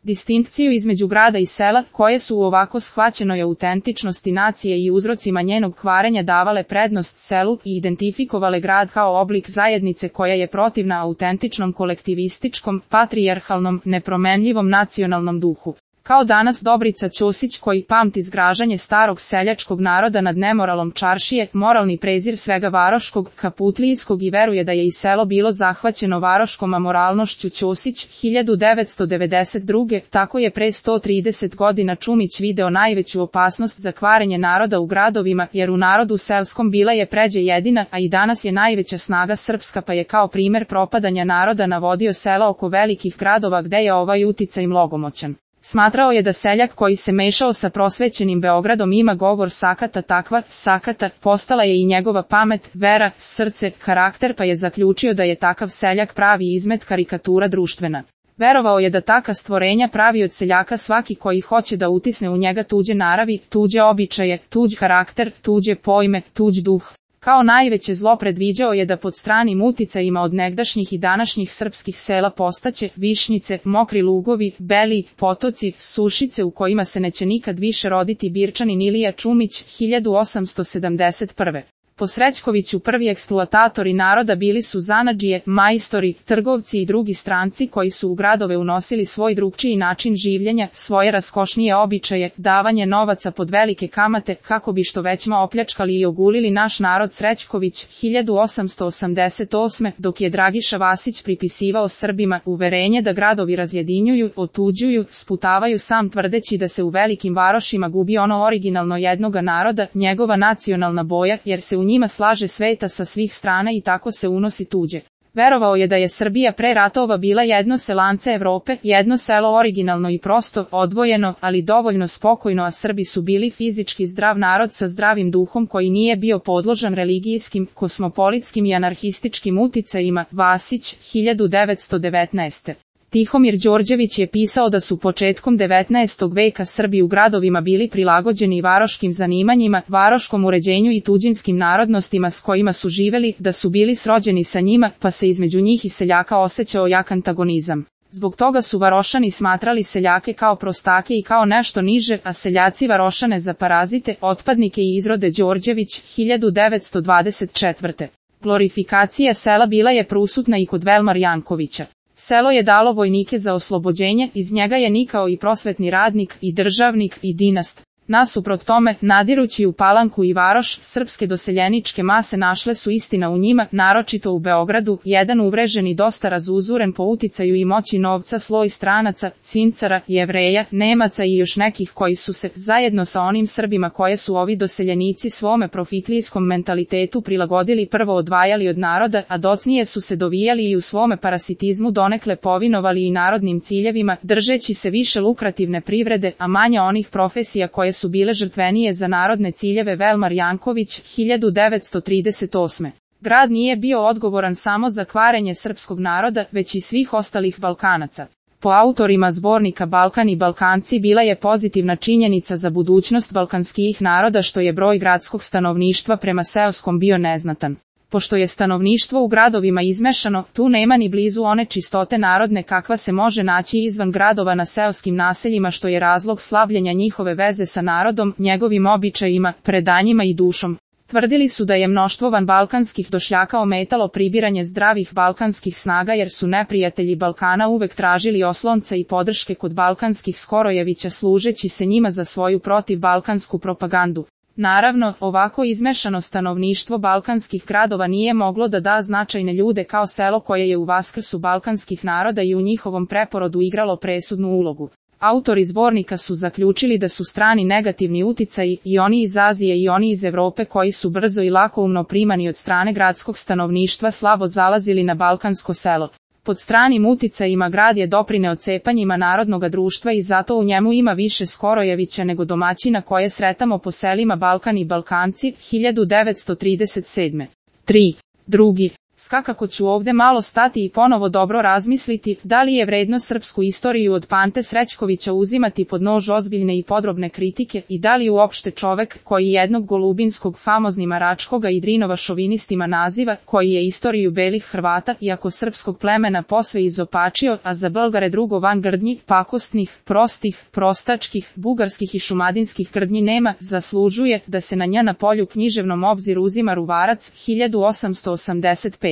Distinkciju između grada i sela, koje su u ovako shvaćenoj autentičnosti nacije i uzrocima njenog kvarenja davale prednost selu i identifikovale grad kao oblik zajednice koja je protivna autentičnom kolektivističkom, patrijarhalnom, nepromenljivom nacionalnom duhu. Kao danas Dobrica Ćosić koji pamti zgražanje starog seljačkog naroda nad nemoralom čaršije, moralni prezir svega varoškog, kaputlijskog i veruje da je i selo bilo zahvaćeno varoškom amoralnošću. Ćosić, 1992. Tako je pre 130 godina Čumić video najveću opasnost za kvarenje naroda u gradovima, jer u narodu selskom bila je pređe jedina, a i danas je najveća snaga srpska, pa je kao primer propadanja naroda navodio sela oko velikih gradova gde je ovaj uticaj mnogomoćan. Smatrao je da seljak koji se mešao sa prosvećenim Beogradom ima govor sakata, takva sakata, postala je i njegova pamet, vera, srce, karakter, pa je zaključio da je takav seljak pravi izmet karikatura društvena. Verovao je da taka stvorenja pravi od seljaka svaki koji hoće da utisne u njega tuđe naravi, tuđe običaje, tuđ karakter, tuđe pojme, tuđ duh. Kao najveće zlo predviđao je da pod stranim uticajima od negdašnjih i današnjih srpskih sela postaće Višnjice, mokri lugovi, beli potoci, sušice u kojima se neće nikad više roditi Birčanin Ilija Čumić, 1871. Po Srećkoviću prvi eksploatatori naroda bili su zanadžije, majstori, trgovci i drugi stranci koji su u gradove unosili svoj drugčiji način življenja, svoje raskošnije običaje, davanje novaca pod velike kamate, kako bi što većma opljačkali i ogulili naš narod. Srećković, 1888. Dok je Dragiša Vasić pripisivao Srbima uverenje da gradovi razjedinjuju, otuđuju, sputavaju, sam tvrdeći da se u velikim varošima gubi ono originalno jednoga naroda, njegova nacionalna boja, jer se u njima slaže sveta sa svih strana i tako se unosi tuđe. Verovao je da je Srbija pre ratova bila jedno selance Evrope, jedno selo originalno i prosto, odvojeno, ali dovoljno spokojno, a Srbi su bili fizički zdrav narod sa zdravim duhom koji nije bio podložan religijskim, kosmopolitskim i anarhističkim uticajima. Vasić, 1919. Tihomir Đorđević je pisao da su početkom 19. veka Srbi u gradovima bili prilagođeni varoškim zanimanjima, varoškom uređenju i tuđinskim narodnostima s kojima su živeli, da su bili srođeni sa njima, pa se između njih i seljaka osjećao jak antagonizam. Zbog toga su Varošani smatrali seljake kao prostake i kao nešto niže, a seljaci Varošane za parazite, otpadnike i izrode. Đorđević, 1924. Glorifikacija sela bila je prisutna i kod Velmar Jankovića. Selo je dalo vojnike za oslobođenje, iz njega je nikao i prosvetni radnik, i državnik, i dinast. Nasuprot tome, nadirući u Palanku i Varoš, srpske doseljeničke mase našle su istina u njima, naročito u Beogradu, jedan uvrežen i dosta razuzuren po uticaju i moći novca sloj stranaca, Cincara, Jevreja, Nemaca i još nekih koji su se, zajedno sa onim Srbima koje su ovi doseljenici svome profitlijskom mentalitetu prilagodili, prvo odvajali od naroda, a docnije su se dovijali i u svome parasitizmu donekle povinovali i narodnim ciljevima, držeći se više lukrativne privrede, a manje onih profesija koje su bile žrtvenije za narodne ciljeve. Velmar Janković, 1938. Grad nije bio odgovoran samo za kvarenje srpskog naroda, već i svih ostalih Balkanaca. Po autorima zbornika Balkan i Balkanci bila je pozitivna činjenica za budućnost balkanskih naroda što je broj gradskog stanovništva prema seoskom bio neznatan. Pošto je stanovništvo u gradovima izmešano, tu nema ni blizu one čistote narodne kakva se može naći izvan gradova na seoskim naseljima, što je razlog slavljenja njihove veze sa narodom, njegovim običajima, predanjima i dušom. Tvrdili su da je mnoštvo vanbalkanskih došljaka ometalo pribiranje zdravih balkanskih snaga jer su neprijatelji Balkana uvek tražili oslonca i podrške kod balkanskih Skorojevića služeći se njima za svoju protivbalkansku propagandu. Naravno, ovako izmešano stanovništvo balkanskih gradova nije moglo da da značajne ljude kao selo koje je u vaskrsu balkanskih naroda i u njihovom preporodu igralo presudnu ulogu. Autori zbornika su zaključili da su strani negativni uticaji, i oni iz Azije i oni iz Evrope koji su brzo i lakoumno primani od strane gradskog stanovništva slabo zalazili na balkansko selo. Pod stranim uticajima grad je doprineo cepanjima narodnoga društva i zato u njemu ima više Skorojevića nego domaćina koje sretamo po selima. Balkan i Balkanci, 1937. 3. Drugi. Svakako ću ovde malo stati i ponovo dobro razmisliti da li je vredno srpsku istoriju od Pante Srećkovića uzimati pod nož ozbiljne i podrobne kritike i da li uopšte čovek koji jednog Golubinskog famoznima Račkoga i Drinova šovinistima naziva, koji je istoriju belih Hrvata iako srpskog plemena posve izopačio, a za Belgare drugo van grdnji, pakostnih, prostih, prostačkih, bugarskih i šumadinskih grdnji nema, zaslužuje da se na nja na polju književnom obziru uzima Ruvarac 1885.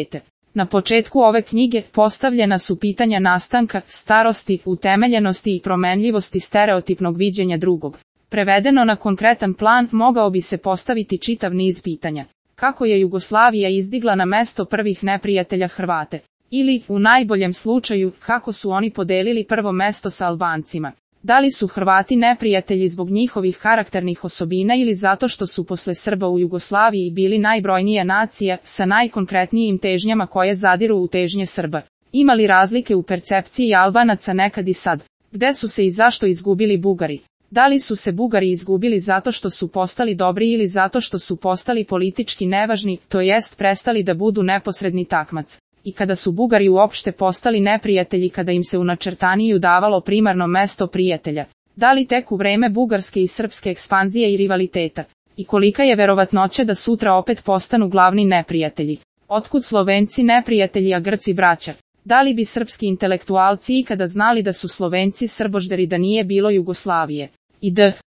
Na početku ove knjige postavljena su pitanja nastanka, starosti, utemeljenosti i promenljivosti stereotipnog viđenja drugog. Prevedeno na konkretan plan mogao bi se postaviti čitav niz pitanja. Kako je Jugoslavija izdigla na mesto prvih neprijatelja Hrvate? Ili, u najboljem slučaju, kako su oni podelili prvo mesto sa Albancima? Da li su Hrvati neprijatelji zbog njihovih karakternih osobina ili zato što su posle Srba u Jugoslaviji bili najbrojnija nacija sa najkonkretnijim težnjama koje zadiru u težnje Srba? Ima li razlike u percepciji Albanaca nekad i sad? Gde su se i zašto izgubili Bugari? Da li su se Bugari izgubili zato što su postali dobri ili zato što su postali politički nevažni, to jest prestali da budu neposredni takmac? I kada su Bugari uopšte postali neprijatelji kada im se u načrtaniju davalo primarno mesto prijatelja? Da li tek u vreme bugarske i srpske ekspanzije i rivaliteta? I kolika je verovatnoća da sutra opet postanu glavni neprijatelji? Otkud Slovenci neprijatelji a Grci braća? Da li bi srpski intelektualci ikada znali da su Slovenci srbožderi da nije bilo Jugoslavije? I